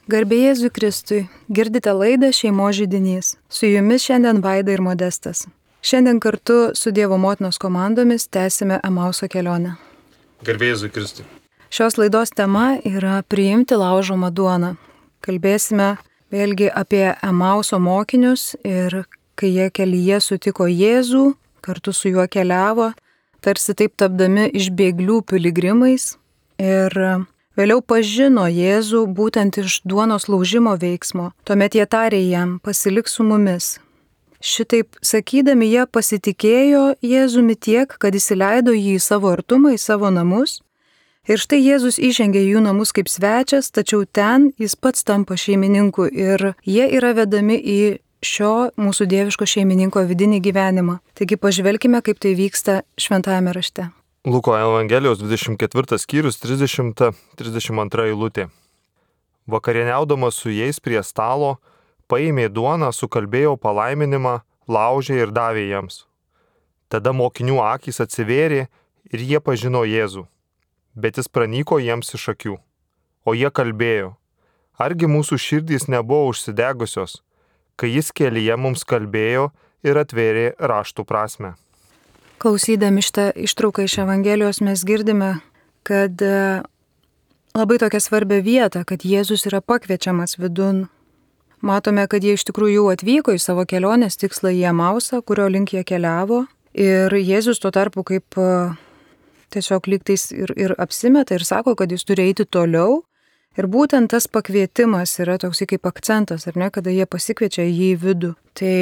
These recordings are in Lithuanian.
Garbė Jėzui Kristui, girdite laidą Šeimos židinys. Su jumis šiandien Vaida ir Modestas. Šiandien kartu su Dievo motinos komandomis tęsime Emauso kelionę. Garbė Jėzui Kristui. Šios laidos tema yra priimti laužomą duoną. Kalbėsime vėlgi apie Emauso mokinius ir kai jie kelyje sutiko Jėzų, kartu su juo keliavo, tarsi taip tapdami iš bėglių piligrimais ir vėliau pažino Jėzų būtent iš duonos laužimo veiksmo. Tuomet jie tarė jam, pasilik su mumis. Šitaip sakydami jie pasitikėjo Jėzumi tiek, kad įsileido jį į savo artumą, į savo namus. Ir štai Jėzus įžengė į jų namus kaip svečias, tačiau ten jis pats tampa šeimininku ir jie yra vedami į šio mūsų dieviško šeimininko vidinį gyvenimą. Taigi pažvelkime, kaip tai vyksta šventajame rašte. Luko Evangelijos 24 skyrius 30-32 eilutė. Vakarieniaudamas su jais prie stalo, paėmė duoną, sukalbėjo palaiminimą, laužė ir davė jiems. Tada mokinių akys atsivėrė ir jie pažino Jėzų, bet jis pranyko jiems iš akių. O jie kalbėjo, argi mūsų širdys nebuvo užsidegusios, kai jis kelyje mums kalbėjo ir atvėrė raštų prasmę. Klausydami šitą ištrauką iš Evangelijos mes girdime, kad labai tokia svarbia vieta, kad Jėzus yra pakviečiamas vidun. Matome, kad jie iš tikrųjų jau atvyko į savo kelionės tikslą į Emausą, kurio link jie keliavo. Ir Jėzus tuo tarpu kaip tiesiog lygtais ir apsimeta ir sako, kad jis turi eiti toliau. Ir būtent tas pakvietimas yra toks kaip akcentas, ar ne, kada jie pasikviečia jį į vidų. Tai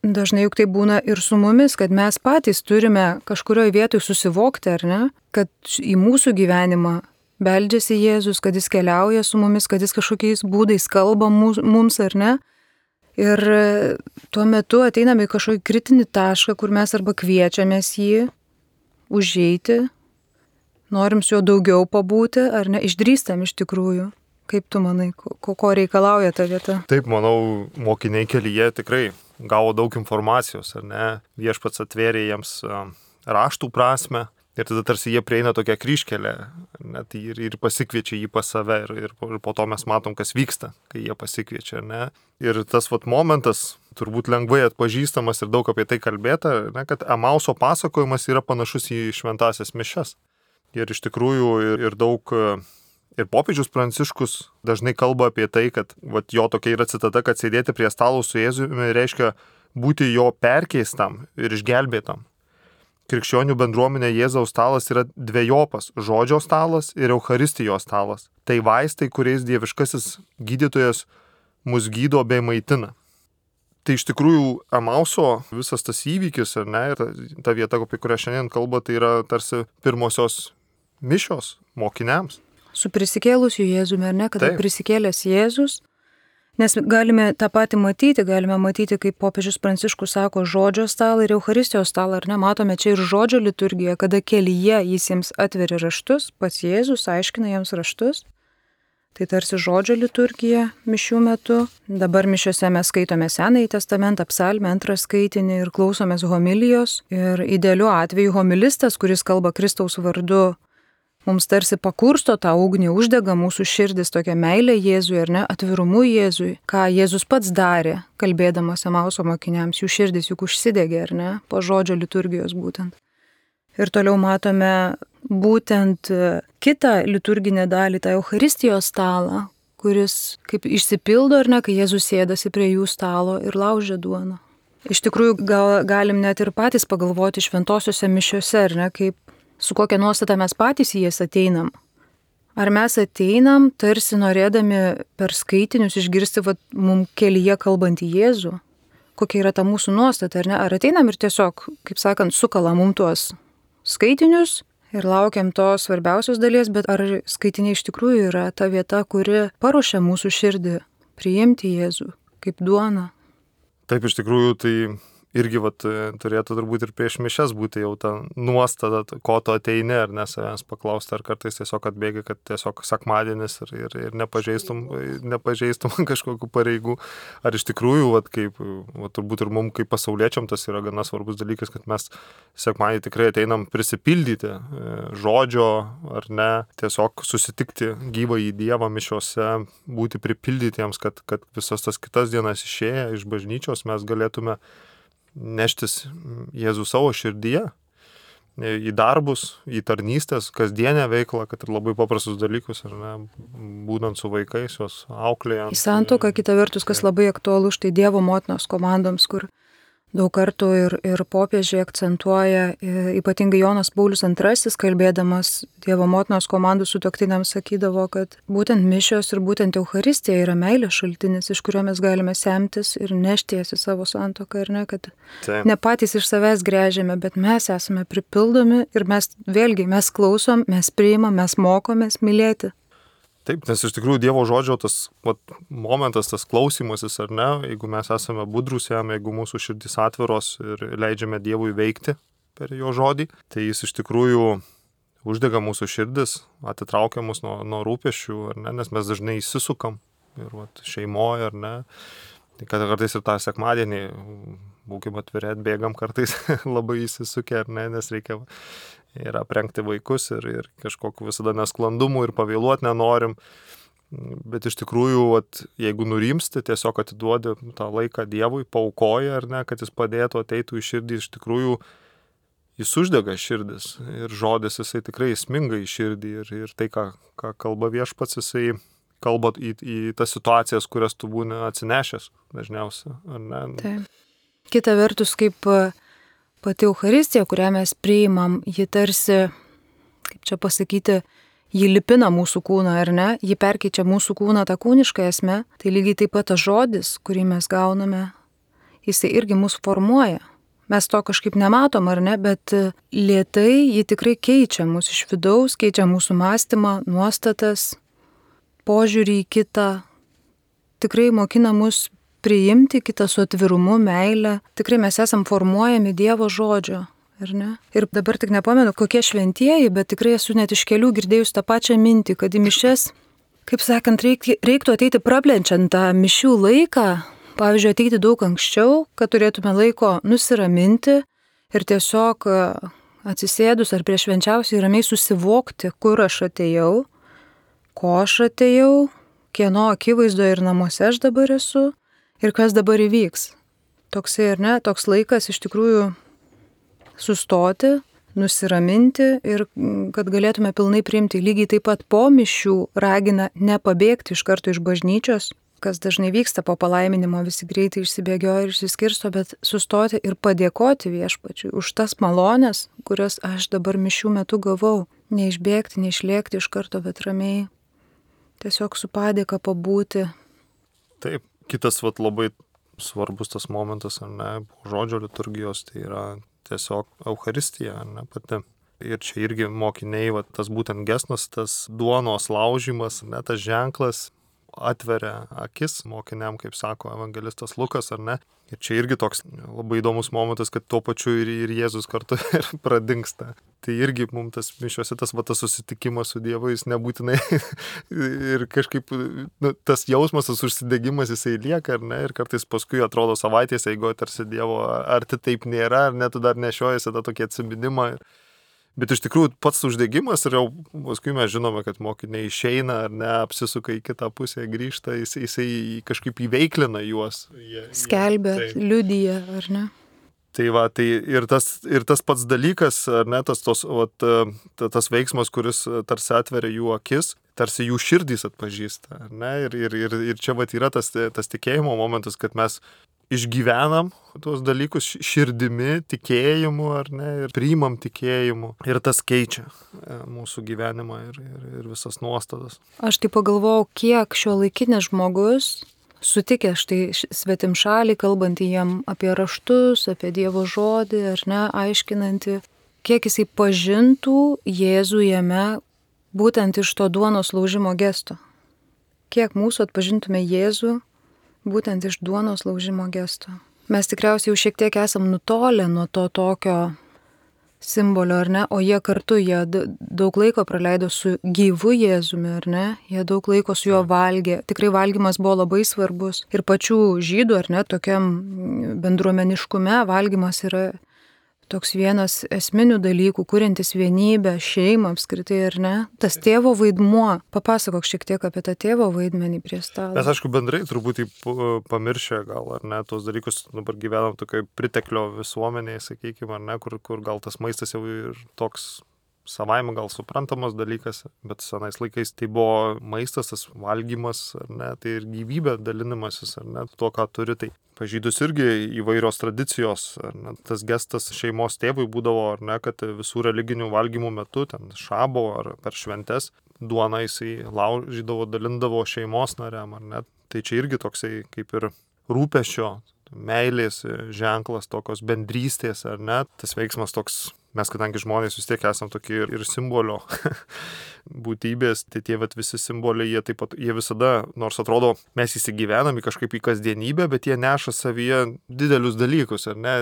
dažnai juk tai būna ir su mumis, kad mes patys turime kažkurioje vietoje susivokti, ar ne, kad į mūsų gyvenimą beldžiasi Jėzus, kad jis keliauja su mumis, kad jis kažkokiais būdais kalba mums, ar ne. Ir tuo metu ateiname į kažkokį kritinį tašką, kur mes arba kviečiamės jį užeiti, norim su juo daugiau pabūti, ar ne, išdrįstam iš tikrųjų. Kaip tu manai, ko reikalauja ta vieta? Taip, manau, mokiniai kelyje tikrai gavo daug informacijos, ar ne? Viešpats atvėrė jiems raštų prasmę ir tada tarsi jie prieina tokią kryžkelę, net ir pasikviečia jį pas save ir po to mes matom, kas vyksta, kai jie pasikviečia, ar ne? Ir tas momentas turbūt lengvai atpažįstamas ir daug apie tai kalbėta, ne, kad Emauso pasakojimas yra panašus į šventąsias mišias. Ir iš tikrųjų ir daug... Ir popiežius Pranciškus dažnai kalba apie tai, kad jo tokia yra citata, kad sėdėti prie stalo su Jėzumi reiškia būti jo perkeistam ir išgelbėtam. Krikščionių bendruomenė Jėzaus stalas yra dvejopas - žodžio stalas ir Eucharistijos stalas. Tai vaistai, kuriais dieviškasis gydytojas mus gydo bei maitina. Tai iš tikrųjų Emauso visas tas įvykis, ar ne, ir ta vieta, apie kurią šiandien kalba, tai yra tarsi pirmosios mišios mokiniams. Su prisikėlusiu Jėzumi, ar ne, kada prisikėlęs Jėzus, nes galime tą patį matyti, kaip popiežius Pranciškus sako, žodžio stalą ir Eucharistijos stalą, ar ne, matome čia ir žodžio liturgiją, kada kelyje jis jiems atveria raštus, pats Jėzus aiškina jiems raštus, tai tarsi žodžio liturgija mišių metu. Dabar mišiose mes skaitome Senąjį testamentą, psalmę, antrą skaitinį ir klausomės homilijos ir idealiu atveju homilistas, kuris kalba Kristaus vardu, mums tarsi pakursto tą ugnį, uždega mūsų širdis tokia meilė Jėzui, ar ne, atvirumu Jėzui, ką Jėzus pats darė, kalbėdamas Emauso mokiniams, jų širdis juk užsidegė, ar ne, po žodžio liturgijos būtent. Ir toliau matome būtent kitą liturginę dalį, tą Eucharistijos stalą, kuris kaip išsipildo, ar ne, kai Jėzus sėdasi prie jų stalo ir laužia duoną. Iš tikrųjų, galim net ir patys pagalvoti šventosiuose mišiuose, ar ne, kaip su kokia nuostata mes patys į jas ateinam. Ar mes ateinam tarsi norėdami per skaitinius išgirsti mums kelyje kalbantį Jėzų? Kokia yra ta mūsų nuostata, ar ne? Ar ateinam ir tiesiog, kaip sakant, sukala mums tuos skaitinius ir laukiam tos svarbiausios dalies, bet ar skaitiniai iš tikrųjų yra ta vieta, kuri paruošia mūsų širdį priimti Jėzų kaip duoną? Taip, iš tikrųjų, tai irgi turėtų turbūt ir prieš mišias būti jau ta nuostata, ko tu ateini, ar ne, savęs paklausti, ar kartais tiesiog atbėgi, kad tiesiog sekmadienis ir nepažeistum kažkokių pareigų, ar iš tikrųjų, turbūt ir mums kaip pasauliečiam tas yra gana svarbus dalykas, kad mes sekmadienį tikrai ateinam prisipildyti žodžio, ar ne, tiesiog susitikti gyvą į Dievą mišiuose, būti pripildytiems, kad visas tas kitas dienas išėję iš bažnyčios mes galėtume neštis Jėzų savo širdyje į darbus, į tarnystės, kasdienę veiklą, kad ir labai paprastus dalykus, ar ne, būnant su vaikais, juos auklėjant. Į santuoką, kita vertus, kas labai aktualu, štai Dievo motinos komandoms, kur daug kartų ir popiežiai akcentuoja, ypatingai Jonas Paulius II, kalbėdamas Dievo motinos komandų sutuoktiniams, sakydavo, kad būtent mišios ir būtent Eucharistija yra meilės šaltinis, iš kurio mes galime semtis ir nešties į savo santuoką, ir ne, kad ne patys iš savęs gręžiame, bet mes esame pripildomi ir mes klausom, mes priimam, mes mokomės mylėti. Taip, nes iš tikrųjų Dievo žodžio tas momentas, tas klausymasis, ar ne, jeigu mes esame budrus jam, jeigu mūsų širdys atviros ir leidžiame Dievui veikti per jo žodį, tai jis iš tikrųjų uždega mūsų širdis, atitraukia mus nuo rūpesčių, ar ne, nes mes dažnai įsisukam ir šeimoje, ar ne, tai kad kartais ir tą sekmadienį būkim atviri, atbėgam kartais labai įsisukę, ar ne, nes reikia ir aprengti vaikus ir kažkokiu visada nesklandumų ir pavėluoti nenorim. Bet iš tikrųjų, jeigu nurimsti, tiesiog atiduodi tą laiką Dievui, paaukoji, ar ne, kad jis padėtų, ateitų į širdį, iš tikrųjų jis uždega širdis ir žodis jisai tikrai įsminga į širdį ir tai, ką kalba Viešpats, jisai kalba į tas situacijas, kurias tu būni atsinešęs dažniausiai, ar ne? Taip. Kita vertus, kaip pati Eucharistija, kurią mes priimam, ji tarsi, kaip čia pasakyti, ji lipina mūsų kūną, ar ne? Ji perkeičia mūsų kūną tą kūnišką esmę. Tai lygiai taip pat tas žodis, kurį mes gauname, jisai irgi mūsų formuoja. Mes to kažkaip nematom, ar ne? Bet lėtai ji tikrai keičia mūsų iš vidaus, keičia mūsų mąstymą, nuostatas, požiūrį į kitą. Tikrai mokina mus priimti kitą su atvirumu, meilę. Tikrai mes esam formuojami Dievo žodžio, ar ne? Ir dabar tik nepamenu, kokie šventieji, bet tikrai esu net iš kelių girdėjus tą pačią mintį, kad į mišias, kaip sakant, reiktų ateiti praplenčiant tą mišių laiką, pavyzdžiui, ateiti daug anksčiau, kad turėtume laiko nusiraminti ir tiesiog atsisėdus ar prieš švenčiausiai ramiai susivokti, kur aš atėjau, ko aš atėjau, kieno akivaizdoje ir namuose aš dabar esu. Ir kas dabar įvyks? Toksai, ar ne, toks laikas iš tikrųjų sustoti, nusiraminti ir kad galėtume pilnai priimti. Lygiai taip pat po mišių ragina nepabėgti iš karto iš bažnyčios, kas dažnai vyksta po palaiminimo, visi greitai išsibėgioja ir išsiskirsto, bet sustoti ir padėkoti Viešpačiui už tas malonės, kurias aš dabar mišių metu gavau. Neišbėgti, neišlėkti iš karto, bet ramiai tiesiog su padėka pabūti. Taip. Kitas labai svarbus tas momentas, ar ne, žodžio liturgijos, tai yra tiesiog Eucharistija, ar ne, pati. Ir čia irgi mokiniai, tas būtent gestas, tas duonos laužimas, ar ne, tas ženklas atveria akis mokiniam, kaip sako evangelistas Lukas, ar ne. Ir čia irgi toks labai įdomus momentas, kad tuo pačiu ir Jėzus kartu ir pradingsta. Tai irgi mums tas mišiuose tas susitikimas su Dievu, jis nebūtinai ir kažkaip tas jausmas, tas užsidegimas jisai lieka, ar ne, ir kartais paskui atrodo savaitės eigoje tarsi Dievo, ar tai taip nėra, ar ne, tu dar nešiojasi tą tokį atsiminimą. Bet iš tikrųjų pats uždegimas ir jau paskui mes žinome, kad mokiniai išeina ar ne, apsisuka į kitą pusę, grįžta, jisai kažkaip įveiklina juos. Skelbia, liudija, ar ne? Tai ir tas pats dalykas, ar ne, tas veiksmas, kuris tarsi atveria jų akis, tarsi jų širdys atpažįsta, ar ne? Ir čia yra tas tikėjimo momentas, kad mes išgyvenam tuos dalykus širdimi, tikėjimu, ar ne, ir priimam tikėjimu. Ir tas keičia mūsų gyvenimą ir visas nuostatas. Aš tai pagalvojau, kiek šiuolaikinis žmogus sutikė štai svetimšalį, kalbantį jam apie raštus, apie Dievo žodį, ar ne, aiškinantį, kiek jisai pažintų Jėzų jame būtent iš to duonos laužimo gesto. Kiek mūsų atpažintume Jėzų būtent iš duonos laužimo gesto. mes tikriausiai jau šiek tiek esam nutolę nuo to tokio simbolio, ar ne, o jie kartu, jie daug laiko praleido su gyvu Jėzumi, ar ne, jie daug laiko su juo valgė, tikrai valgymas buvo labai svarbus ir pačių žydų, ar ne, tokiam bendruomeniškume valgymas yra toks vienas esminių dalykų, kuriantis vienybę, šeimą apskritai, ar ne? Tas tėvo vaidmuo. Papasakok šiek tiek apie tą tėvo vaidmenį prie stalo. Mes, aišku, bendrai truputį pamiršę gal, ar ne, tuos dalykus, dabar gyvenam tokioje priteklio visuomenėje, sakykime, ar ne, kur gal tas maistas jau ir toks savaime gal suprantamas dalykas, bet senais laikais tai buvo maistas, tas valgymas, ar ne, tai ir gyvybė dalinimasis, ar ne, tuo, ką turi, tai pažydus irgi įvairios tradicijos, ar ne, tas gestas šeimos tėvui būdavo, ar ne, kad visų religinių valgymų metu, ten šabo ar per šventes, duoną jisai laužydavo, dalindavo šeimos nariam, ar ne, tai čia irgi toksai kaip ir rūpesčio, meilės ženklas, tokios bendrystės, ar ne, tas veiksmas toks. Mes, kadangi žmonės vis tiek esam tokie ir simbolio būtybės, tai tie visi simboliai, jie taip pat, jie visada, nors atrodo, mes įsigyvenami kažkaip į kasdienybę, bet jie neša savyje didelius dalykus, ar ne,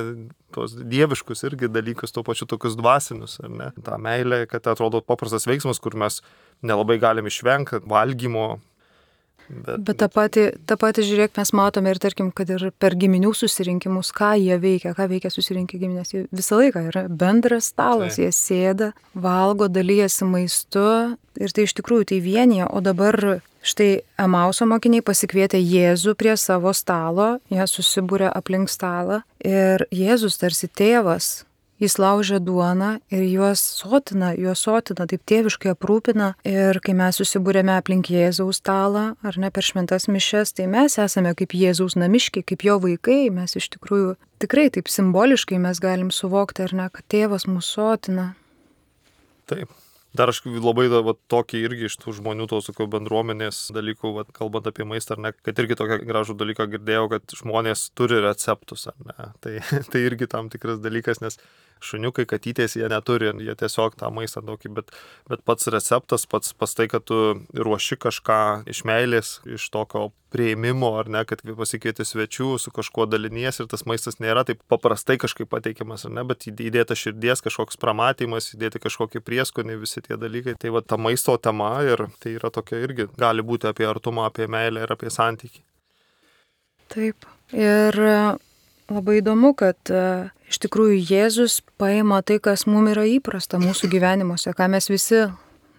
tos dieviškus irgi dalykus, tuo pačiu tokius dvasinius, ar ne. Ta meilė, kad atrodo paprastas veiksmas, kur mes nelabai galim išvengti valgymo. Bet tą patį, žiūrėk, mes matome ir tarkim, kad ir per giminių susirinkimus, ką veikia susirinkę giminės. Visą laiką yra bendras stalas, jie sėda, valgo, dalyjasi maistu ir tai iš tikrųjų tai vienyje, o dabar štai Emauso mokiniai pasikvietė Jėzų prie savo stalo, jie susibūrė aplink stalą ir Jėzus tarsi tėvas. Jis laužia duoną ir juos sotina, taip tėviškai aprūpina. Ir kai mes susibūrėme aplink Jėzaus stalą, ar ne per šventas mišias, tai mes esame kaip Jėzaus namiškiai, kaip jo vaikai. Mes iš tikrųjų tikrai taip simboliškai mes galim suvokti, ar ne, kad tėvas mūsų sotina. Taip. Dar aš labai tokį irgi iš tų žmonių, tos bendruomenės dalykų, kalbant apie maistą, ar ne, kad irgi tokią gražų dalyką girdėjau, kad žmonės turi receptus, ar ne. Tai irgi tam tikras dalykas, nes šuniukai, katytės, jie neturi, jie tiesiog tą maistą tokį, bet pats receptas, pats tai, kad tu ruoši kažką iš meilės, iš tokio prieimimo, ar ne, kad pasikvieti svečių, su kažkuo dalinies ir tas maistas nėra taip paprastai kažkaip pateikiamas, ar ne, bet įdėta širdies kažkoks pramatymas, įdėti kažkokį prieskonį, visi tie dalykai. Tai ta maisto tema ir tai yra tokia irgi, gali būti apie artumą, apie meilę ir apie santykį. Taip. Ir labai įdomu, kad iš tikrųjų Jėzus paima tai, kas mums yra įprasta mūsų gyvenimuose, ką mes visi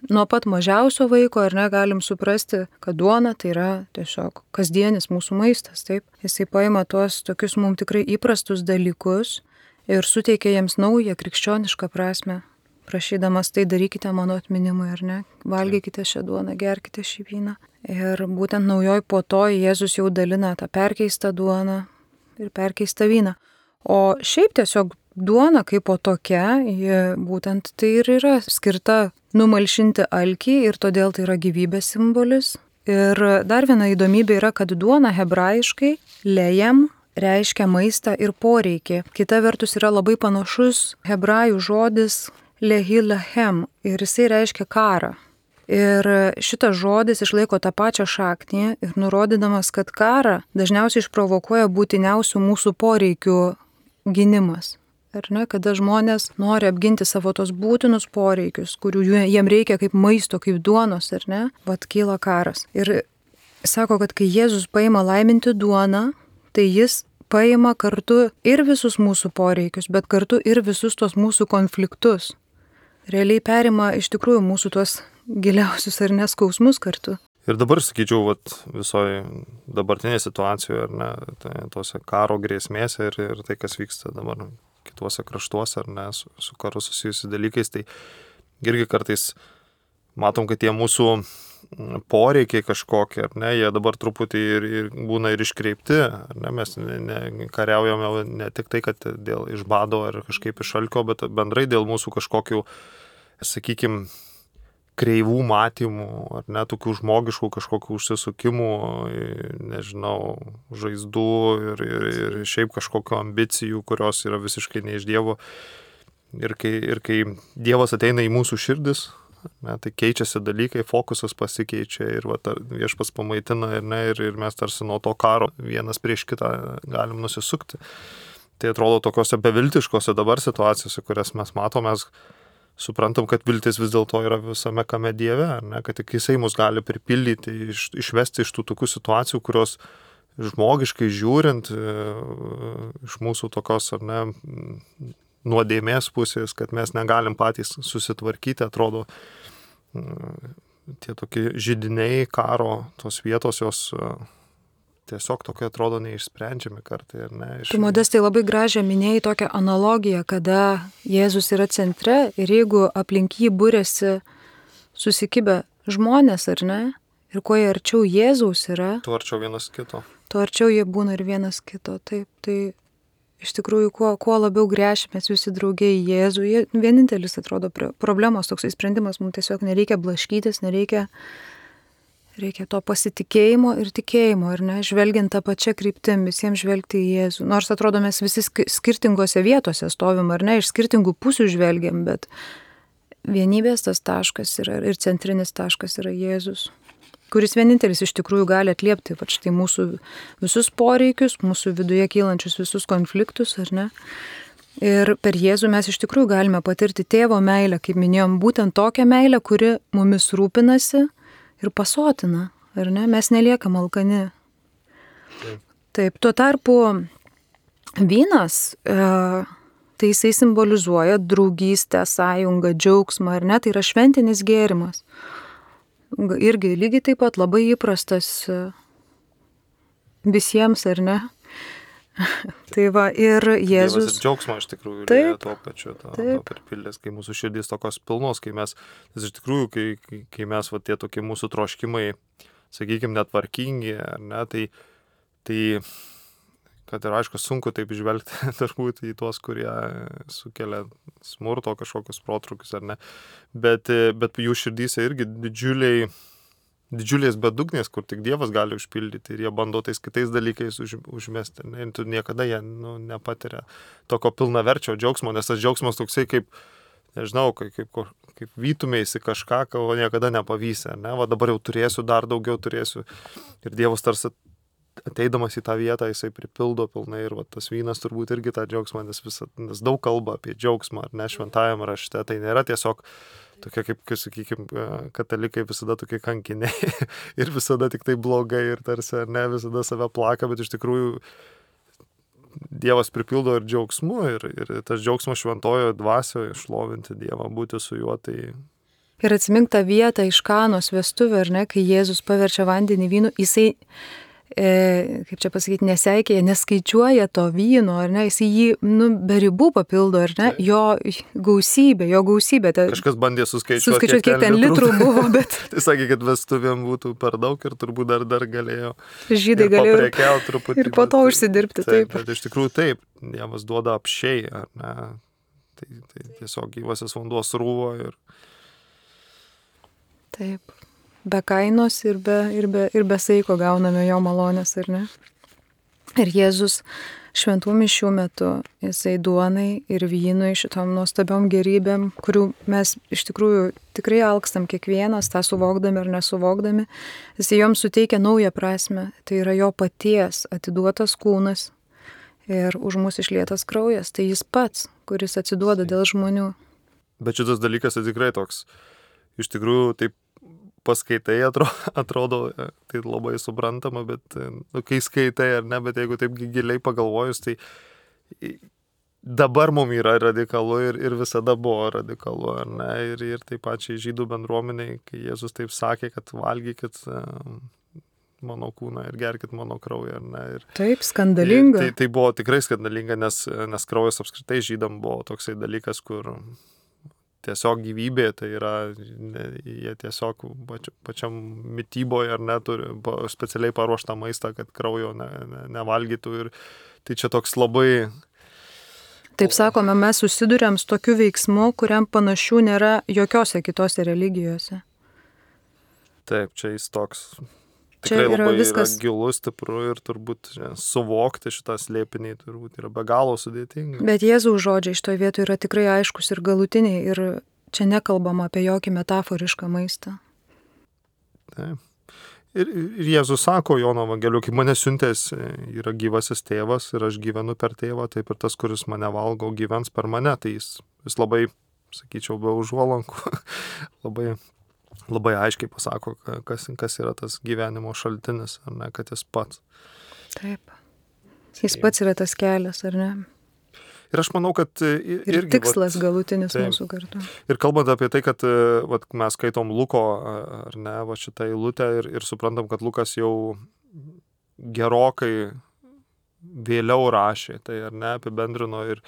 nuo pat mažiausio vaiko ir negalim suprasti, kad duona tai yra tiesiog kasdienis mūsų maistas, taip. Jisai paima tuos tokius mums tikrai įprastus dalykus ir suteikia jiems naują krikščionišką prasme, prašydamas tai darykite mano atminimui, ar ne, valgykite šią duoną, gerkite šį vyną. Ir būtent naujoj puotoj Jėzus jau dalina tą perkeistą duoną ir perkeistą vyną. O šiaip tiesiog duona kaip po tokia, būtent tai ir yra skirta numalšinti alkį ir todėl tai yra gyvybės simbolis. Ir dar viena įdomybė yra, kad duona hebrajiškai lejem reiškia maistą ir poreikį. Kita vertus yra labai panašus hebrajų žodis lehi lahem ir jisai reiškia karą. Ir šitas žodis išlaiko tą pačią šaknį ir nurodydamas, kad karą dažniausiai išprovokuoja būtiniausių mūsų poreikių gynimas. Ar ne, kada žmonės nori apginti savo tos būtinus poreikius, kurių jiem reikia kaip maisto, kaip duonos, ar ne, vat kyla karas. Ir sako, kad kai Jėzus paima laiminti duoną, tai jis paima kartu ir visus mūsų poreikius, bet kartu ir visus tos mūsų konfliktus. Realiai perima iš tikrųjų mūsų tuos giliausius ar neskausmus kartu. Ir dabar, sakyčiau, visoje dabartinėje situacijoje, ar ne, tose karo grėsmėse ir tai, kas vyksta dabar kituose kraštuose, ar ne, su karu susijusi dalykais, tai irgi kartais matom, kad tie mūsų poreikiai kažkokie, ar ne, jie dabar truputį ir būna ir iškreipti, ar ne, mes kariaujame ne tik tai, kad dėl iš bado ar kažkaip iš alkio, bet bendrai dėl mūsų kažkokių, sakykime, kreivų matymų, ar ne, tokių žmogiškų kažkokių užsisukimų, nežinau, žaizdų ir šiaip kažkokių ambicijų, kurios yra visiškai ne iš Dievo. Ir kai Dievas ateina į mūsų širdis, Ne, tai keičiasi dalykai, fokusas pasikeičia ir viešpats pamaitina ir mes tarsi nuo to karo vienas prieš kitą galim nusisukti. Tai atrodo tokiose beviltiškose dabar situacijose, kurias mes matome, mes suprantam, kad viltis vis dėlto yra visame kame Dieve, ne, kad tik Jisai mus gali pripildyti, išvesti iš tų tokių situacijų, kurios žmogiškai žiūrint, iš mūsų tokios ar ne nuodėmės pusės, kad mes negalim patys susitvarkyti, atrodo, tie tokie židiniai karo, tos vietos jos tiesiog tokie atrodo neišsprendžiami kartai, ar ne? Tu, Modestai, labai gražią minėjai tokią analogiją, kada Jėzus yra centre ir jeigu aplink jį būrėsi susikibę žmonės, ar ne? Ir kuo jie arčiau Jėzaus yra, tuo arčiau vienas kito. Tuo arčiau jie būna ir vienas kito. Taip, tai iš tikrųjų, kuo labiau gręšimės visi draugiai į Jėzų, vienintelis atrodo problemos toksai sprendimas, mums tiesiog nereikia blaškytis, reikia to pasitikėjimo ir tikėjimo, ir ne, žvelgiant tą pačią kryptim, visiems žvelgti į Jėzų. Nors atrodo, mes visi skirtingose vietose stovim, ar ne, iš skirtingų pusių žvelgiam, bet vienybės tas taškas yra ir centrinis taškas yra Jėzus, kuris vienintelis iš tikrųjų gali atliepti štai mūsų visus poreikius, mūsų viduje kylančius visus konfliktus, ar ne. Ir per Jėzų mes iš tikrųjų galime patirti tėvo meilę, kaip minėjom, būtent tokią meilę, kuri mumis rūpinasi ir pasotina, ar ne? Mes neliekam alkani. Taip, tuo tarpu vynas, tai jisai simbolizuoja draugystę, sąjungą, džiaugsmą, ar ne? Tai yra šventinis gėrimas. Irgi lygiai taip pat labai įprastas visiems, ar ne? Tai va, ir Jėzus. Dievas ir džiaugsmo iš tikrųjų yra tuo pačiu, to pripildęs, kai mūsų širdys tokios pilnos, kai mes, iš tikrųjų, kai mes tie tokie mūsų troškimai, sakykime, netvarkingi, ar ne, tai kad ir aišku, sunku taip žvelgti turbūt į tuos, kurie sukelia smurto kažkokius protrukius, ar ne, bet jų širdyse irgi didžiulės bedugnės, kur tik Dievas gali užpildyti ir jie bando tais kitais dalykais užmesti. Ne? Ir tu niekada jie nepatiria tokio pilnaverčio džiaugsmo, nes tas džiaugsmas toksai kaip, nežinau, kaip vytumėsi kažką, ko niekada nepavysi. Ne? Va dabar jau turėsiu, dar daugiau turėsiu. Ir Dievas tarsi ateidamas į tą vietą, jisai pripildo pilnai ir va, tas vynas turbūt irgi tą džiaugsmą, nes daug kalba apie džiaugsmą, ar ne, šventajame rašte. Tai nėra tiesiog tokie, kaip, sakykime, katalikai visada tokie kankiniai ir visada tik tai blogai ir tarsi, ar ne, visada save plaka, bet iš tikrųjų Dievas pripildo ir džiaugsmu ir tas džiaugsmas šventojo dvasioje šlovinti Dievą, būti su juo. Tai... Ir atsimink tą vietą iš Kanos vestuvių, ar ne, kai Jėzus paverčia vandenį vynu, jisai kaip čia pasakyti, neseikėja, neskaičiuoja to vyno, ar ne, jis jį, be ribų papildo, ar ne, jo gausybė. Kažkas bandė suskaičiuoti, kiek ten litrų buvo, bet... Tai sakė, kad vestuvėm būtų per daug ir turbūt dar galėjo. Žydai galėjo paprekiauti truputį. Ir po to užsidirbti, taip. Bet iš tikrųjų taip, Dievas duoda apsčiai, ar ne, tai tiesiog gyvasis vanduo srūvo ir... Taip. Be kainos ir be saiko gauname jo malonės, ar ne? Ir Jėzus šventų mišių metu, jisai duonai ir vynui šitom nuostabiom gerybėm, kurių mes iš tikrųjų tikrai alkstam kiekvienas, tą suvokdami ar nesuvokdami, jisai joms suteikia naują prasme. Tai yra jo paties atiduotas kūnas ir už mus išlietas kraujas. Tai jis pats, kuris atsiduoda dėl žmonių. Bet šitas dalykas tikrai toks, iš tikrųjų taip, paskaitai atrodo, tai labai suprantama, bet kai skaitai ar ne, bet jeigu taip giliai pagalvojus, tai dabar mums yra radikalu ir visada buvo radikalu, ar ne, ir taip pačiai žydų bendruomeniai, kai Jėzus taip sakė, kad valgykit mano kūną ir gerkit mano kraują, ar ne. Ir, taip, skandalinga. Tai buvo tikrai skandalinga, nes kraujas apskritai žydam buvo toksai dalykas, kur... Tiesiog gyvybė, tai yra, jie tiesiog pačiam mityboje ar neturi specialiai paruoštą maistą, kad kraujo nevalgytų ir tai čia toks labai... Taip sakome, mes susiduriam su tokiu veiksmu, kuriam panašių nėra jokiose kitose religijose. Taip, čia jis toks... Tikrai labai viskas... yra gilus, stipru ir turbūt suvokti šitą slėpinį turbūt yra be galo sudėtinga. Bet Jėzaus žodžiai šitoje vietoje yra tikrai aiškus ir galutiniai ir čia nekalbama apie jokį metaforišką maistą. Taip. Ir Jėzus sako Jono Evangelijoje, kai mane siuntęs yra gyvasis tėvas ir aš gyvenu per tėvą, taip ir tas, kuris mane valgo, gyvens per mane. Tai jis labai, sakyčiau, be užuolankų, labai aiškiai pasako, kas yra tas gyvenimo šaltinis, ar ne, kad jis pats. Taip. Jis pats yra tas kelias, ar ne? Ir aš manau, kad ir tikslas galutinis mūsų kartu. Ir kalbant apie tai, kad mes skaitom Luko, ar ne, šitą eilutę ir suprantam, kad Lukas jau gerokai vėliau rašė, tai ar ne, apibendrino ir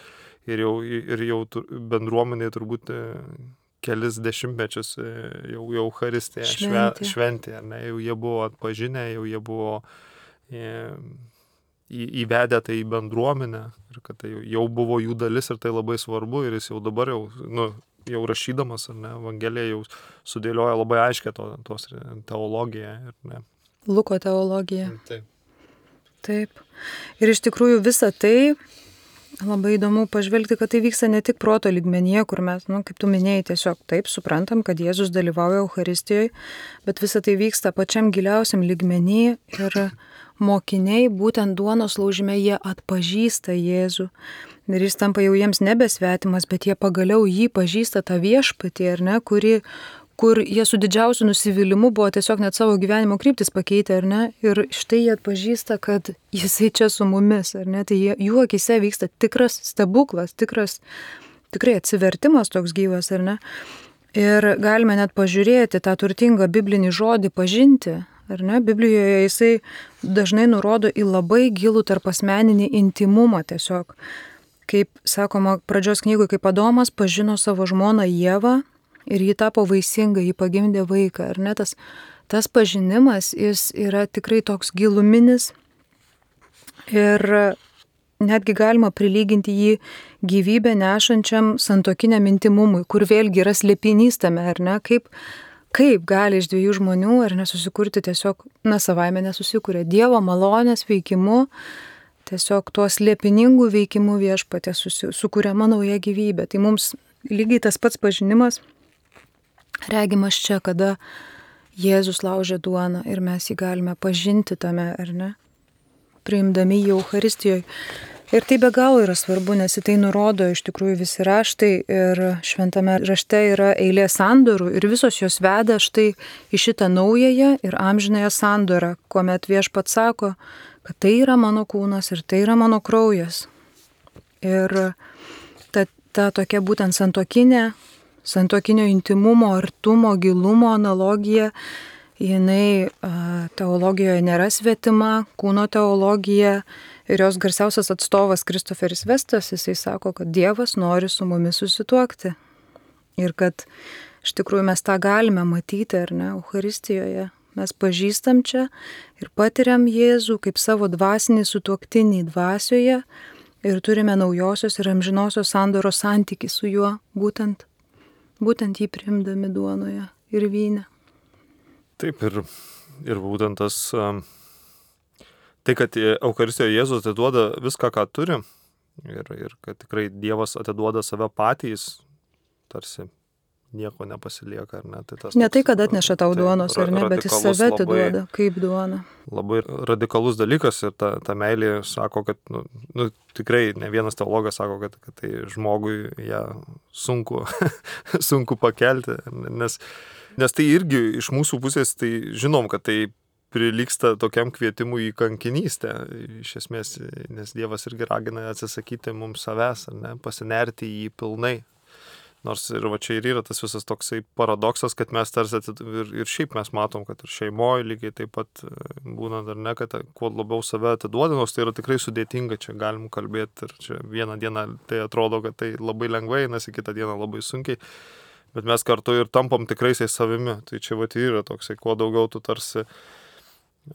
jau bendruomeniai turbūt kelis dešimtmečius jau Eucharistiją šventė, ar ne, jau jie buvo atpažinę, jau jie buvo įvedę tai į bendruomenę ir kad tai jau buvo jų dalis ir tai labai svarbu ir jis jau dabar jau rašydamas, ar ne, Evangeliją jau sudėlioja labai aiškiai tos teologiją. Ne. Luko teologija. Taip. Taip. Ir iš tikrųjų visa tai labai įdomu pažvelgti, kad tai vyksta ne tik proto lygmenyje, kur mes, kaip tu minėjai, tiesiog taip suprantam, kad Jėzus dalyvauja Eucharistijoje, bet visa tai vyksta pačiam giliausiam lygmenyje ir mokiniai būtent duonos laužime jie atpažįsta Jėzų ir jis tampa jau jiems nebesvetimas, bet jie pagaliau jį pažįsta tą viešpatį, ar ne, kur jie su didžiausiu nusivylimu buvo tiesiog net savo gyvenimo kryptis pakeitę, ar ne, ir štai jie atpažįsta, kad jisai čia su mumis, ar ne, tai jų akise vyksta tikras stebuklas, tikrai atsivertimas toks gyvas, ar ne, ir galime net pažiūrėti tą turtingą biblinį žodį pažinti. Ar ne? Biblijoje jisai dažnai nurodo į labai gilų tarpasmeninį intimumą tiesiog. Kaip sakoma pradžios knygoje, kaip Adomas pažino savo žmoną Ievą ir ji tapo vaisinga, ji pagimdė vaiką. Ar ne? Tas pažinimas, jis yra tikrai toks giluminis ir netgi galima prilyginti jį gyvybę nešančiam santuokiniam intimumui, kur vėlgi yra slėpinys tame, ar ne? Kaip gali iš dviejų žmonių ar nesusikurti tiesiog, savaime nesusikuria. Dievo malonės veikimu, tiesiog tuo slėpiningu veikimu viešpatė sukuriama nauja gyvybė. Tai mums lygiai tas pats pažinimas regimas čia, kada Jėzus laužė duoną ir mes jį galime pažinti tame, ar ne, priimdami jį Eucharistijoje. Ir tai be galo yra svarbu, nes į tai nurodo iš tikrųjų visi raštai ir šventame rašte yra eilė sandorų ir visos jos veda štai į šitą naująją ir amžinąją sandorą, kuomet viešpats sako, kad tai yra mano kūnas ir tai yra mano kraujas. Ir ta tokia būtent santuokinio intimumo, artumo, gilumo analogija, jinai teologijoje nėra svetima, kūno teologija. Ir jos garsiausias atstovas Kristoferis Vestas, jisai sako, kad Dievas nori su mumis susituokti. Ir kad iš tikrųjų mes tą galime matyti, ar ne, Eucharistijoje. Mes pažįstam čia ir patiriam Jėzų kaip savo dvasinį sutuoktinį dvasioje ir turime naujosios ir amžinosios sandoros santykį su juo, būtent jį priimdami duonoje ir vyne. Taip, ir būtent tas... Tai, kad Eucharistijoje Jėzus atiduoda viską, ką turi ir kad tikrai Dievas atiduoda save patys, tarsi nieko nepasilieka, ar ne? Ne tai, kad atneša tau duonos, ar ne, bet jis save atiduoda kaip duona. Labai radikalus dalykas ir ta meilė sako, kad tikrai ne vienas teologas sako, kad tai žmogui ją sunku pakelti, nes tai irgi iš mūsų pusės, tai žinom, kad tai prilygsta tokiam kvietimui į kankinystę, iš esmės, nes Dievas irgi ragina atsisakyti mums savęs, ar ne, pasinerti į jį pilnai. Nors ir va čia ir yra tas visas toksai paradoksas, kad mes tarsi ir šiaip mes matom, kad ir šeimoje lygiai taip pat būna, ar ne, kad kuo labiau save atiduodi, nors tai yra tikrai sudėtinga, čia galim kalbėti ir čia vieną dieną tai atrodo, kad tai labai lengvai, nes kitą dieną labai sunkiai, bet mes kartu ir tampam tikraisiais savimi. Tai čia va yra toksai, kuo daugiau tu tarsi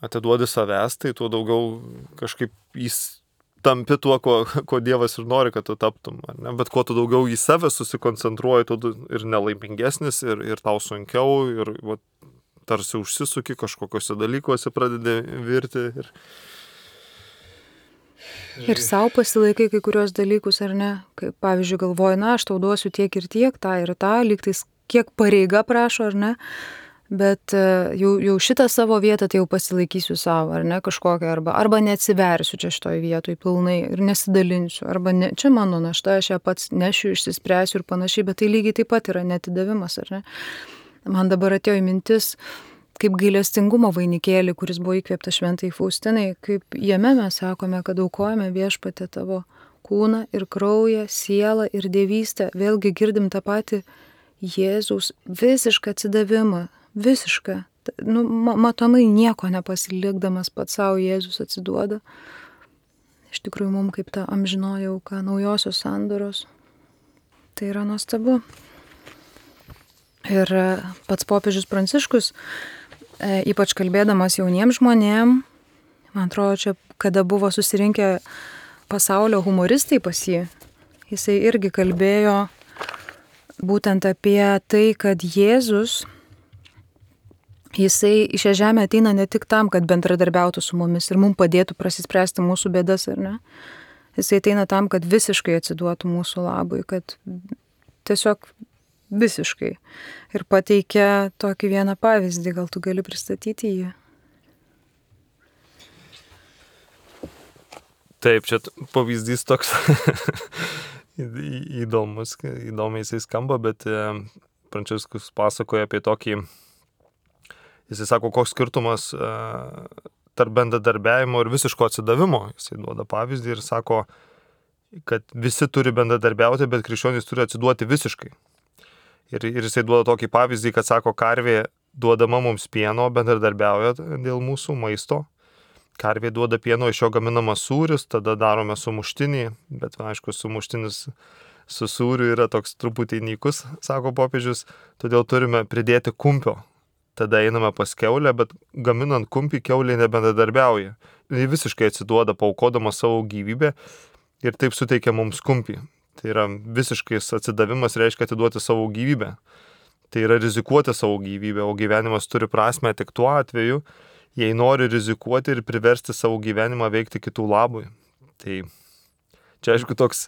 atiduodi savęs, tai tuo daugiau kažkaip jis tampi tuo, ko Dievas ir nori, kad tu taptum. Ne? Bet kuo tu daugiau į save susikoncentruoji, tu ir nelaimingesnis, ir tau sunkiau, ir tarsi užsisuki kažkokiuose dalykuose, pradedi virti. Ir savo pasilaikai kai kurios dalykus, ar ne? Kaip, pavyzdžiui, galvoju, na, aš tau duosiu tiek ir tiek, tą ir tą, lygtais kiek pareiga prašo, ar ne? Bet jau šitą savo vietą tai jau pasilaikysiu savo, ar ne, kažkokią, arba neatsiversiu čia šitoj vietoj pilnai ir nesidalinsiu, arba ne, čia mano našta, aš ją pats nešiu, išsispręsiu ir panašiai, bet tai lygiai taip pat yra neatidavimas, ar ne? Man dabar atėjo į mintis, kaip gailestingumo vainikėlį, kuris buvo įkvėptas šventai Faustinai, kaip jame mes sakome, kad aukojame Viešpatie tavo kūną ir kraują, sielą ir dievystę, vėlgi girdim tą patį Jėzaus visišką atsidavimą. Visišką. Nu, matomai nieko nepasilikdamas pats savo Jėzus atsiduoda. Iš tikrųjų, mums kaip ta amžinoji auka, naujosios sandoros. Tai yra nuostabu. Ir pats popiežius Pranciškus, ypač kalbėdamas jauniems žmonėm, man atrodo, čia, kada buvo susirinkę pasaulio humoristai pas jį, jisai irgi kalbėjo būtent apie tai, kad Jėzus Jisai į šią žemę ateina ne tik tam, kad bendradarbiautų su mumis ir mums padėtų prasispręsti mūsų bėdas, ar ne? Jisai ateina tam, kad visiškai atsiduotų mūsų labui, kad tiesiog visiškai. Ir pateikia tokį vieną pavyzdį, gal tu gali pristatyti jį? Taip, čia pavyzdys toks įdomiai jisai skamba, bet Pranciškus pasakoja apie tokį. Jisai sako, koks skirtumas tarp bendradarbiavimo ir visiško atsidavimo. Jisai duoda pavyzdį ir sako, kad visi turi bendradarbiauti, bet krikščionys turi atsiduoti visiškai. Ir jisai duoda tokį pavyzdį, kad sako, karvė duodama mums pieno, bendradarbiauja dėl mūsų maisto. Karvė duoda pieno, iš jo gaminamas sūris, tada darome sumuštinį, bet aišku, sumuštinis su sūriu yra toks truputį nykus, sako popiežius, todėl turime pridėti kumpio. Tada einame pas kiaulę, bet gaminant kumpį kiaulė nebendradarbiauja. Jis visiškai atsiduoda, paaukodama savo gyvybę ir taip suteikia mums kumpį. Tai yra visiškais atsidavimas reiškia atiduoti savo gyvybę. Tai yra rizikuoti savo gyvybę, o gyvenimas turi prasmę tik tuo atveju, jei nori rizikuoti ir priversti savo gyvenimą veikti kitų labui. Tai čia aišku toks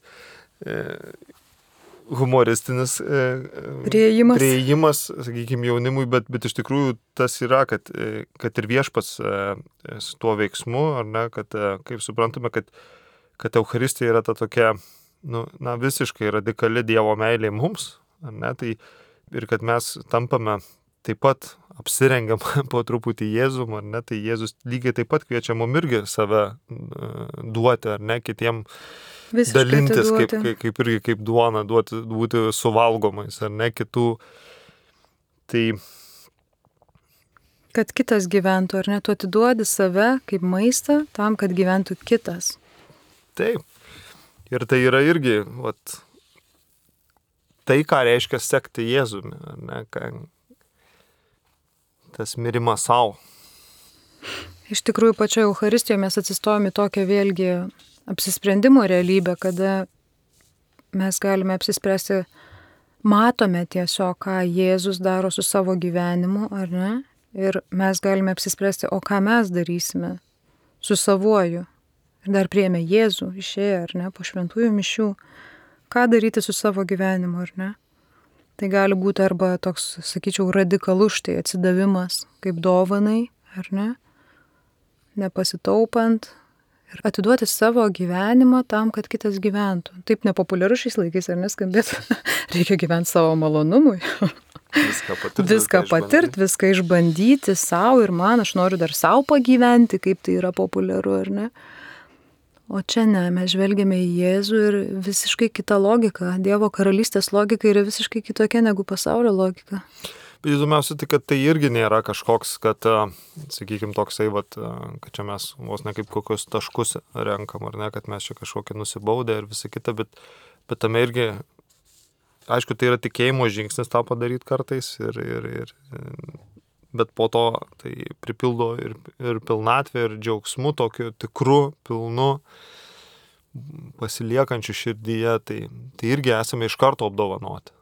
humoristinis priėjimas, sakykime, jaunimui, bet iš tikrųjų tas yra, kad ir Viešpats su tuo veiksmu, ar ne, kad kaip suprantame, kad Eucharistija yra ta tokia, visiškai radikali Dievo meilė mums, ar ne, tai ir kad mes tampame taip pat apsirengiam po truputį Jėzum, ar ne, tai Jėzus lygiai taip pat kviečia mum irgi save duoti, ar ne, kitiem visiškai dalintis, kaip duona, būti suvalgomais, ar ne, kitų. Tai kad kitas gyventų, ar ne, tu atiduodi save kaip maistą tam, kad gyventų kitas. Taip. Ir tai yra irgi, tai, ką reiškia sekti Jėzumi, ar ne, tas mirimas savo. Iš tikrųjų, pačioje Eucharistijoje mes atsistojame į tokią vėlgi apsisprendimo realybę, kada mes galime apsispręsti, matome tiesiog, ką Jėzus daro su savo gyvenimu, ar ne? Ir mes galime apsispręsti, o ką mes darysime su savuoju. Ir dar priėmė Jėzų, išėję, ar ne, po šventųjų mišių. Ką daryti su savo gyvenimu, ar ne? Tai gali būti arba toks, sakyčiau, radikalus štai atsidavimas kaip dovanai, ar ne? Nepasitaupant ir atiduoti savo gyvenimą tam, kad kitas gyventų. Taip nepopuliaru šiais laikais, ar neskambėtų? Reikia gyventi savo malonumui. Viską patirti, viską išbandyti savo ir man, aš noriu dar savo pagyventi, kaip tai yra populiaru, ar ne? O čia ne, mes žvelgiame į Jėzų ir visiškai kita logika. Dievo karalystės logika yra visiškai kitokia negu pasaulio logika. Bet įdomiausia, tai kad tai irgi nėra kažkoks, kad, sakykime, toksai, kad čia mes vos ne kaip kokius taškus renkam, ar ne, kad mes čia kažkokį nusibaudę ir visą kitą, bet tame irgi, aišku, tai yra tikėjimo žingsnis tą padaryti kartais, bet po to tai pripildo ir pilnatvę, ir džiaugsmu, tokiu tikru, pilnu, pasiliekančiu širdyje, tai irgi esame iš karto apdovanoti.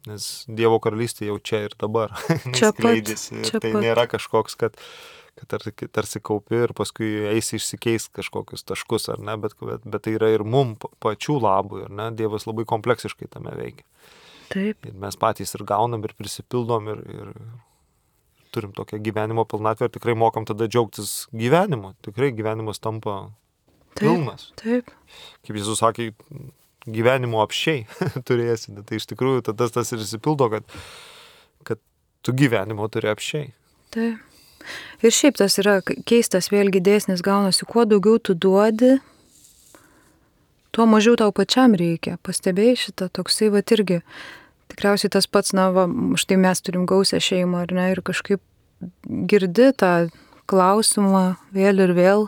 Nes Dievo karalystė jau čia ir dabar skleidžiasi. Tai nėra kažkoks, kad kad tarsi kaupi ir paskui eisi išsikeisti kažkokius taškus, ar ne, bet tai yra ir mum pačių labui, ar ne, Dievas labai kompleksiškai tame veikia. Taip. Ir mes patys ir gaunam, ir prisipildom, ir turim tokią gyvenimo pilnatvę ir tikrai mokam tada džiaugtis gyvenimu. Tikrai gyvenimas tampa pilnas. Taip. Kaip Jėzus sakė, gyvenimo apsčiai turėsi. Tai iš tikrųjų tada tas ir įsipildo, kad tu gyvenimo turi apsčiai. Taip. Ir šiaip tas yra keistas vėlgi dėsnis gaunasi, kuo daugiau tu duodi, tuo mažiau tau pačiam reikia. Pastebėjai šitą toksai irgi. Tikriausiai tas pats, štai mes turim gausią šeimą, ar ne, ir kažkaip girdi tą klausimą vėl ir vėl,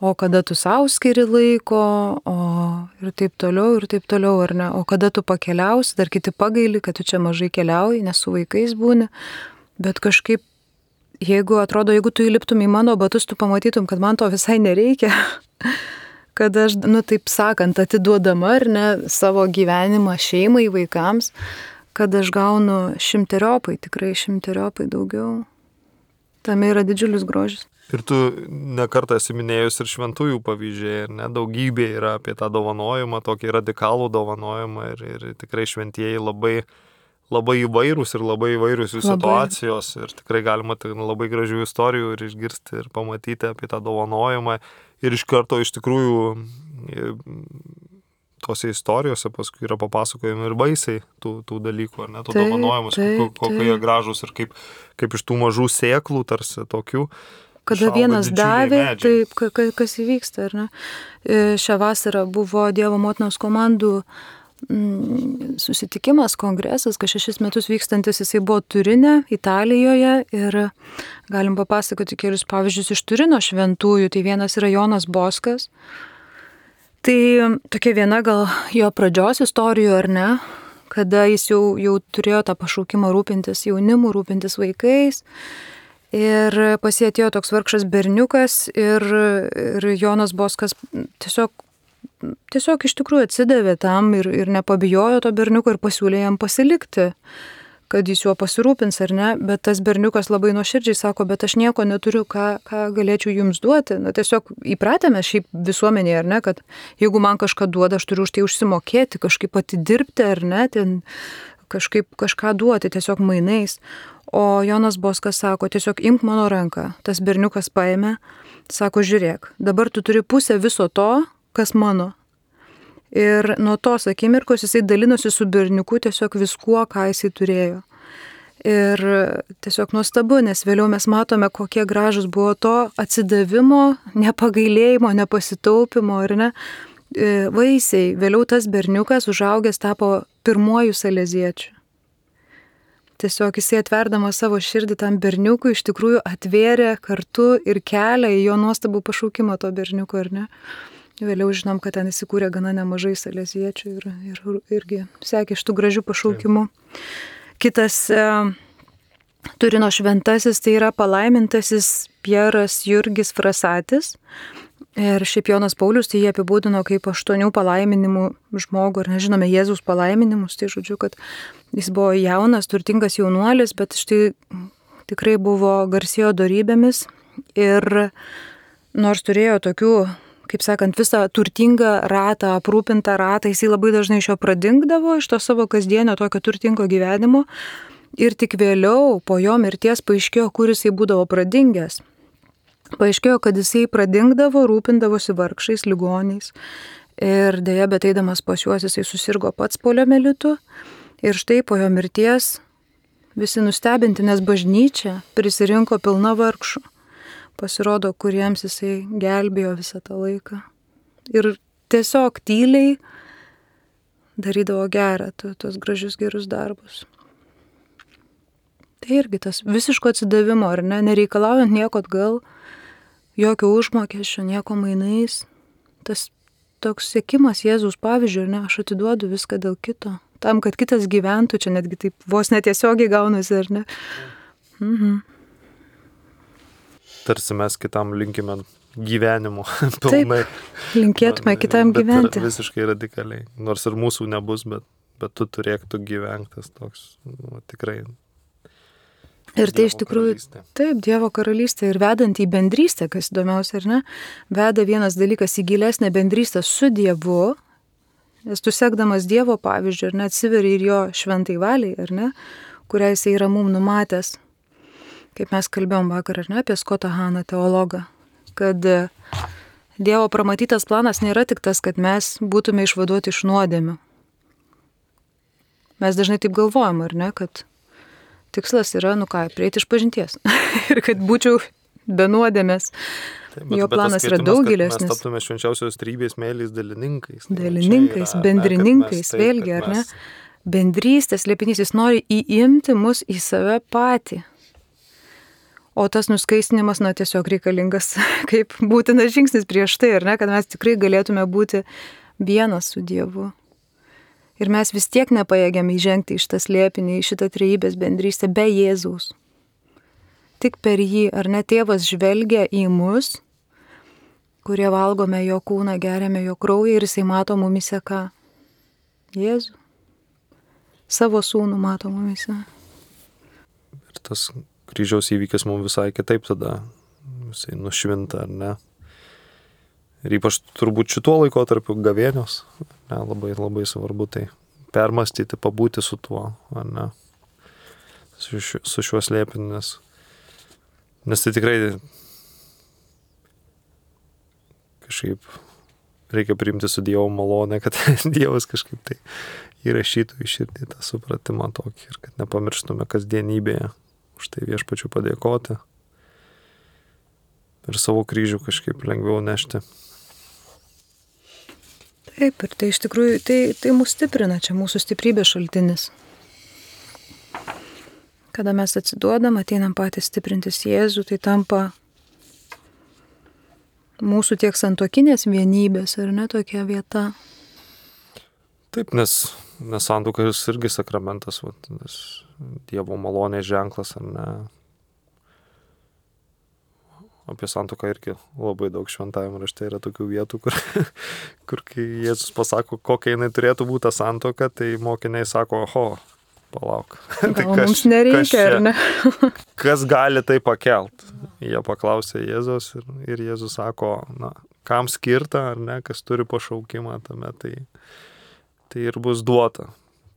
o kada tu sau skiri laiko, ir taip toliau, ar ne, o kada tu pakeliausi, dar kiti pagaili, kad tu čia mažai keliauji, nes su vaikais būni, bet kažkaip, jeigu tu įliptum į mano batus, tu pamatytum, kad man to visai nereikia, kad aš, taip sakant, atiduodama, ar ne, savo gyvenimą šeimai, vaikams, kad aš gaunu tikrai šimteriopai daugiau. Tame yra didžiulis grožis. Ir tu nekartą esi minėjus ir šventųjų pavyzdžiai, ir daugybė yra apie tą dovanojimą, tokį radikalų dovanojimą, ir tikrai šventieji labai, labai įvairūs ir labai įvairius jų situacijos, ir tikrai galima labai gražių istorijų ir išgirsti ir pamatyti apie tą dovanojimą, ir iš karto iš tikrųjų tose istorijose paskui yra papasakojami ir vaisiai tų dalykų, ar ne, tų dovanojimus, kokie jie gražūs ir kaip iš tų mažų sėklų tarsi tokių. Kada vienas davė, taip, kas įvyksta, ar ne? Šią vasarą buvo Dievo motinos komandų susitikimas, kongresas, kas 6 metus vykstantis, jisai buvo Turine, Italijoje, ir galim papasakoti kelius pavyzdžius iš Turino šventųjų. Tai vienas yra Jonas Boskas. Tai tokia viena gal jo pradžios istorijų, ar ne? Kada jis jau turėjo tą pašaukimą rūpintis jaunimu, rūpintis vaikais. Ir pas jį atėjo toks vargšas berniukas ir Jonas Boskas tiesiog iš tikrųjų atsidavė tam ir nepabijojo to berniuko ir pasiūlė jam pasilikti, kad jis juo pasirūpins, ar ne, bet tas berniukas labai nuoširdžiai sako, bet aš nieko neturiu, ką galėčiau jums duoti. Tiesiog įpratėme šiaip visuomenėje, ar ne, kad jeigu man kažką duoda, aš turiu už tai užsimokėti, kažkaip atidirbti, ar ne, ten kažką duoti, tiesiog mainais. O Jonas Boskas sako, tiesiog imk mano ranką. Tas berniukas paėmė, sako, žiūrėk, dabar tu turi pusę viso to, kas mano. Ir nuo tos akimirkos jisai dalinosi su berniuku tiesiog viskuo, ką jisai turėjo. Ir tiesiog nuostabu, nes vėliau mes matome, kokie gražus buvo to atsidavimo, nepagailėjimo, nepasitaupimo, ar ne, vaisiai. Vėliau tas berniukas užaugęs tapo pirmuoju saleziečiu. Tiesiog jisai atverdamas savo širdį tam berniukui iš tikrųjų atvėrė kartu ir kelią į jo nuostabų pašaukimą to berniuko, ar ne? Vėliau žinom, kad ten įsikūrė gana nemažai saleziečių ir irgi sekė šitų gražių pašaukimų. Kitas Turino šventasis tai yra palaimintasis Pieras Jurgis Frasatis. Ir šiaip Jonas Paulius tai jie apibūdino kaip 8 palaiminimų žmogų, ar nežinome Jėzaus palaiminimus, tai žodžiu, kad jis buvo jaunas, turtingas jaunuolis, bet štai tikrai buvo garsėjo dorybėmis ir nors turėjo tokių, kaip sakant, visą turtingą ratą, aprūpintą ratą, jisai labai dažnai iš jo pradingdavo, iš to savo kasdienio tokio turtingo gyvenimo ir tik vėliau po jo mirties paaiškėjo, kur jisai būdavo pradingęs. Paaiškėjo, kad jisai pradingdavo, rūpindavosi vargšais, ligoniais ir dėja, bet eidamas pas juos jisai susirgo pats poliomielitu ir štai po jo mirties visi nustebinti, nes bažnyčia prisirinko pilna vargšų. Pasirodo, kuriems jisai gelbėjo visą tą laiką. Ir tiesiog tyliai darydavo gerą, tos gražius gerus darbus. Tai irgi tas visiško atsidavimo, ar ne, nereikalaujant nieko atgal, jokio užmokesčio, nieko mainais. Tas toks sekimas Jėzaus pavyzdžiu, ar ne, aš atiduodu viską dėl kito. Tam, kad kitas gyventų, čia netgi taip vos netiesiogiai gaunasi, ar ne? Mhm. Tarsi mes kitam linkime gyvenimo pilnai. Taip, linkėtume kitam gyventi. Visiškai radikaliai. Nors ir mūsų nebus, bet tu turėk tu gyventas toks, tikrai. Ir tai iš tikrųjų, taip, Dievo karalystė ir vedant į bendrystę, kas įdomiausia, ar ne, veda vienas dalykas į gilesnę bendrystę su Dievu, nes tu sekdamas Dievo pavyzdžių, ar ne, atsiveri ir jo šventai valiai, ar ne, kurią jisai yra mum numatęs, kaip mes kalbėjom vakar, ar ne, apie Scottą Haną, teologą, kad Dievo pramatytas planas nėra tik tas, kad mes būtume išvaduoti iš nuodėmių. Mes dažnai taip galvojam, ar ne, kad tikslas yra, prieiti iš pažinties. Ir kad būčiau be nuodėmės. Jo planas yra daug gilesnis. Mes taptume švenčiausios trybės meilės dalininkais. Dalininkais, bendrininkais, vėlgi, ar ne? Bendrystės slėpinys, jis nori įimti mus į save patį. O tas nuskaistinimas, tiesiog reikalingas kaip būtinas žingsnis prieš tai, ar ne? Kad mes tikrai galėtume būti vienas su Dievu. Ir mes vis tiek nepajėgiam įžengti į šitą slėpinį, į šitą trejybės bendrystę be Jėzaus. Tik per jį, ar ne, tėvas žvelgia į mus, kurie valgome jo kūną, geriame jo kraują ir jisai mato mumise ką? Jėzų. Savo sūnų mato mumise. Ir tas kryžiaus įvykis mums visai kitaip tada jisai nušvinta, ar ne? Ir ypač turbūt šituo laikotarpiu gavėnios, labai, labai svarbu tai permastyti, pabūti su tuo, ar ne, su šiuo slėpiniu, nes tai tikrai kažkaip reikia priimti su Dievo malonę, kad Dievas kažkaip tai įrašytų į širdį tą supratimą tokį ir kad nepamirštume kasdienybėje už tai Viešpačiui padėkoti ir savo kryžių kažkaip lengviau nešti. Taip, ir tai iš tikrųjų, tai mus stiprina, čia mūsų stiprybės šaltinis. Kada mes atsiduodam, ateinam patys stiprintis Jėzų, tai tampa mūsų tiek santuokinės vienybės, ar ne, tokia vieta. Taip, nes santuoka irgi sakramentas, nes Dievo malonės ženklas, ar ne. Apie santuoką irgi labai daug šventajame rašte yra tokių vietų, kur kai Jėzus pasako, kokia jinai turėtų būti ta santuoka, tai mokiniai sako, palauk. Tai mums nereikia, ar ne? Kas gali tai pakelt? Jie paklausė Jėzus ir Jėzus sako, kam skirta, ar ne, kas turi pašaukimą tame, tai ir bus duota.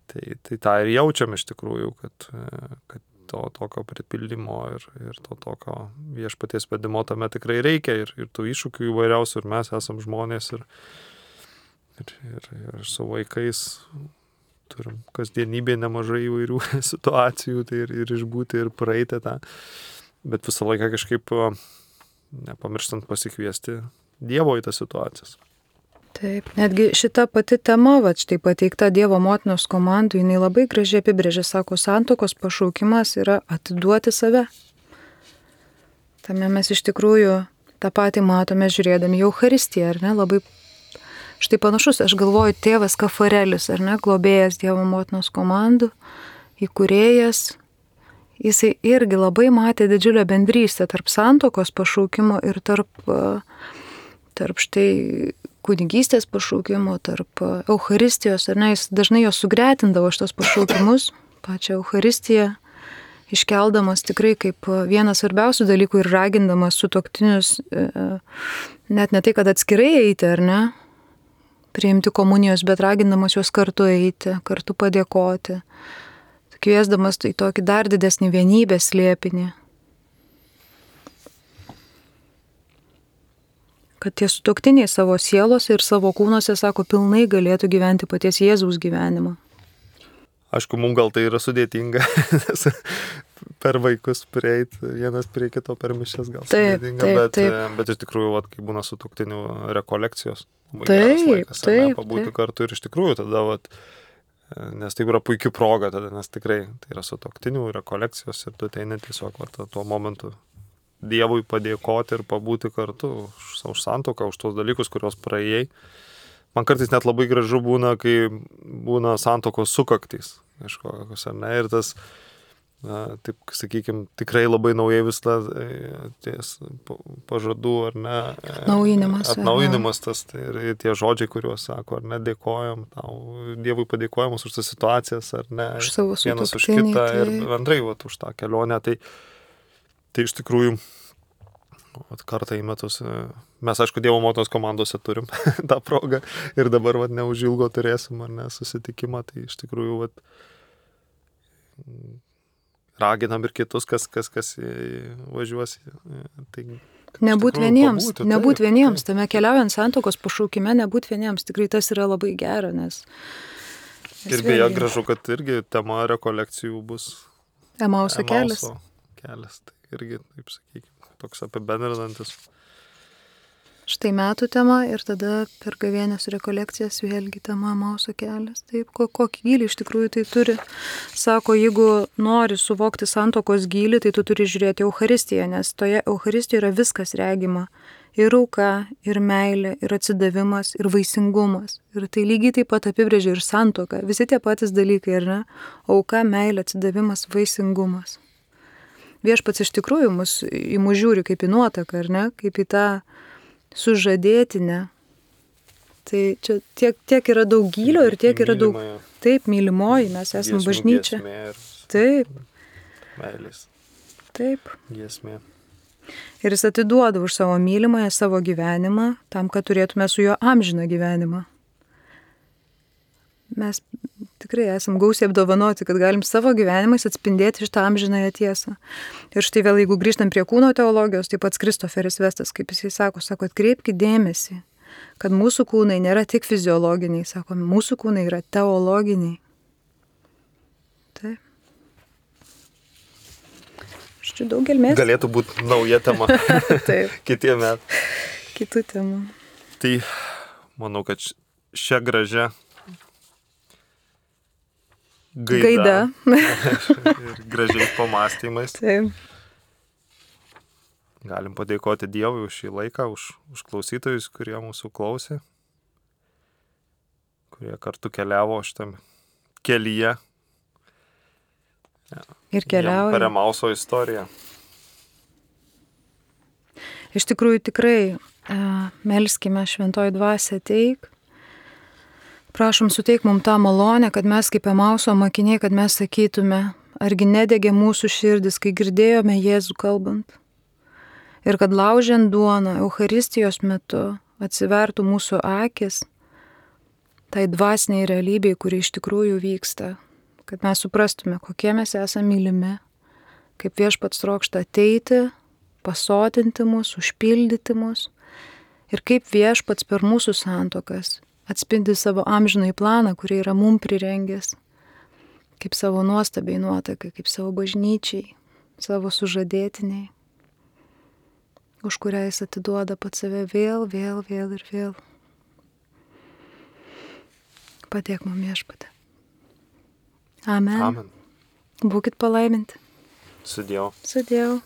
Tai tą ir jaučiam iš tikrųjų, kad to tokio pripildymo ir to tokio Viešpaties vedimo tame tikrai reikia ir tų iššūkių įvairiausių ir mes esam žmonės ir su vaikais turim kasdienybėje nemažai įvairių situacijų tai ir išbūti ir praeiti tą, bet visą laiką kažkaip nepamirštant pasikviesti Dievo į tas situacijas. Taip, netgi šita pati tema, štai pateikta Dievo motinos komandų, jinai labai gražiai apibrėžia, sako, santuokos pašaukimas yra atiduoti save. Tame mes iš tikrųjų tą patį matome žiūrėdami į Eucharistiją, ar ne, labai štai panašus, aš galvoju, tėvas Kafarelis, ar ne, globėjas Dievo motinos komandų, įkūrėjas, jisai irgi labai matė didžiulę bendrystę tarp santuokos pašaukimo ir tarp štai kunigystės pašaukimo, tarp Eucharistijos, ar ne, jis dažnai jos sugretindavo šitos pašaukimus, pačią Eucharistiją, iškeldamas tikrai kaip vienas svarbiausių dalykų ir ragindamas sutuoktinius, net ne tai, kad atskirai eiti, ar ne, priimti komunijos, bet ragindamas juos kartu eiti, kartu padėkoti, kviesdamas į tokį dar didesnį vienybės slėpinį. Kad tie sutuoktiniai savo sielose ir savo kūnuose, sako, pilnai galėtų gyventi paties Jėzaus gyvenimą. Aišku, mums gal tai yra sudėtinga, per vaikus prieiti, vienas prie kito per mišias gal sudėtinga, bet iš tikrųjų, kai būna sutuoktinių rekolekcijos, geras laikas, pabūti kartu ir iš tikrųjų tada, nes tai yra puikia proga tada, nes tikrai tai yra sutuoktinių rekolekcijos ir tu ateini tiesiog tuo momentu Dievui padėkoti ir pabūti kartu už santuoką, už tos dalykus, kuriuos praėjai. Man kartais net labai gražu būna, kai būna santuokos sukaktys kažkokios, ar ne, ir tas taip, sakykime, tikrai labai naujai vis ties pažadų, ar ne? Atnaujinimas tas, tai ir tie žodžiai, kuriuos sako, ar ne, dėkojam tau, Dievui padėkojamas už tas situacijas, ar ne? Už savo sutuoktinį. Vienas už kitą ir bendrai už tą kelionę. Tai iš tikrųjų, kartą į metus, mes aišku Dievo motinos komandose turim tą progą ir dabar neužilgo turėsim, ar ne, susitikimą, tai iš tikrųjų raginam ir kitus, kas važiuos. Tai, nebūt vieniems, tame keliaujant santuokos pašaukime, nebūt vieniems, tikrai tas yra labai gera, nes ir beje gražu, kad irgi tema rekolekcijų bus Emauso kelias. Tai irgi, taip sakykime, toks apibendrinantis. Štai metų tema ir tada per gavėnios rekolekcijas vėlgi tema Emauso kelias. Taip, kokį gylį iš tikrųjų tai turi. Sako, jeigu nori suvokti santuokos gylį, tai tu turi žiūrėti Eucharistiją, nes toje Eucharistijoje yra viskas regima. Ir auka, ir meilė, ir atsidavimas, ir vaisingumas. Ir tai lygiai taip pat apibrėžia ir santuoką. Visi tie patys dalykai, ar ne? Auka, meilė, atsidavimas, vaisingumas. Viešpats iš tikrųjų į mus žiūri kaip į nuotaką, ar ne? Kaip į tą sužadėtinę. Tai čia tiek yra daug gylio ir tiek yra daug... Taip, mylimoji, mes esame bažnyčia. Taip. Meilės. Taip. Giesmė. Ir jis atiduoda už savo mylimąją savo gyvenimą, tam, kad turėtume su juo amžiną gyvenimą. Mes tikrai esam gausiai apdovanoti, kad galim savo gyvenimais atspindėti šitą amžinąją tiesą. Ir štai vėl, jeigu grįžtam prie kūno teologijos, tai pats Kristoferis Vestas, kaip jisai sako, atkreipkite dėmesį, kad mūsų kūnai nėra tik fiziologiniai, sako, mūsų kūnai yra teologiniai. Taip. Štai daug gelmės. Galėtų būti nauja tema. Taip. Kitie metai. Kitų temų. Tai manau, kad šią gražią gaida. Ir gražiais pamastymais. Taip. Galim padėkoti Dievui už šį laiką, už klausytojus, kurie mūsų klausė, kurie kartu keliavo šitam kelyje. Ir keliauja. Per Emauso istoriją. Iš tikrųjų tikrai melskime šventoji dvasia ateik. Prašom suteik mums tą malonę, kad mes kaip Emauso mokiniai, kad mes sakytume, argi nedegė mūsų širdis, kai girdėjome Jėzų kalbant. Ir kad laužiant duoną Eucharistijos metu atsivertų mūsų akis tai dvasiniai realybei, kuri iš tikrųjų vyksta. Kad mes suprastume, kokie mes esame mylimi, kaip Viešpats trokšta ateiti, pasotinti mus, užpildyti mus ir kaip Viešpats per mūsų santuokas atspindi savo amžinąjį planą, kurį yra mum prirengęs, kaip savo nuostabiai nuotakai, kaip savo bažnyčiai, savo sužadėtiniai, už kurią jis atiduoda pats save vėl ir vėl. Padėk mum Viešpate. Amen. Amen. Būkit palaiminti. Su Dievu. Su Dievu.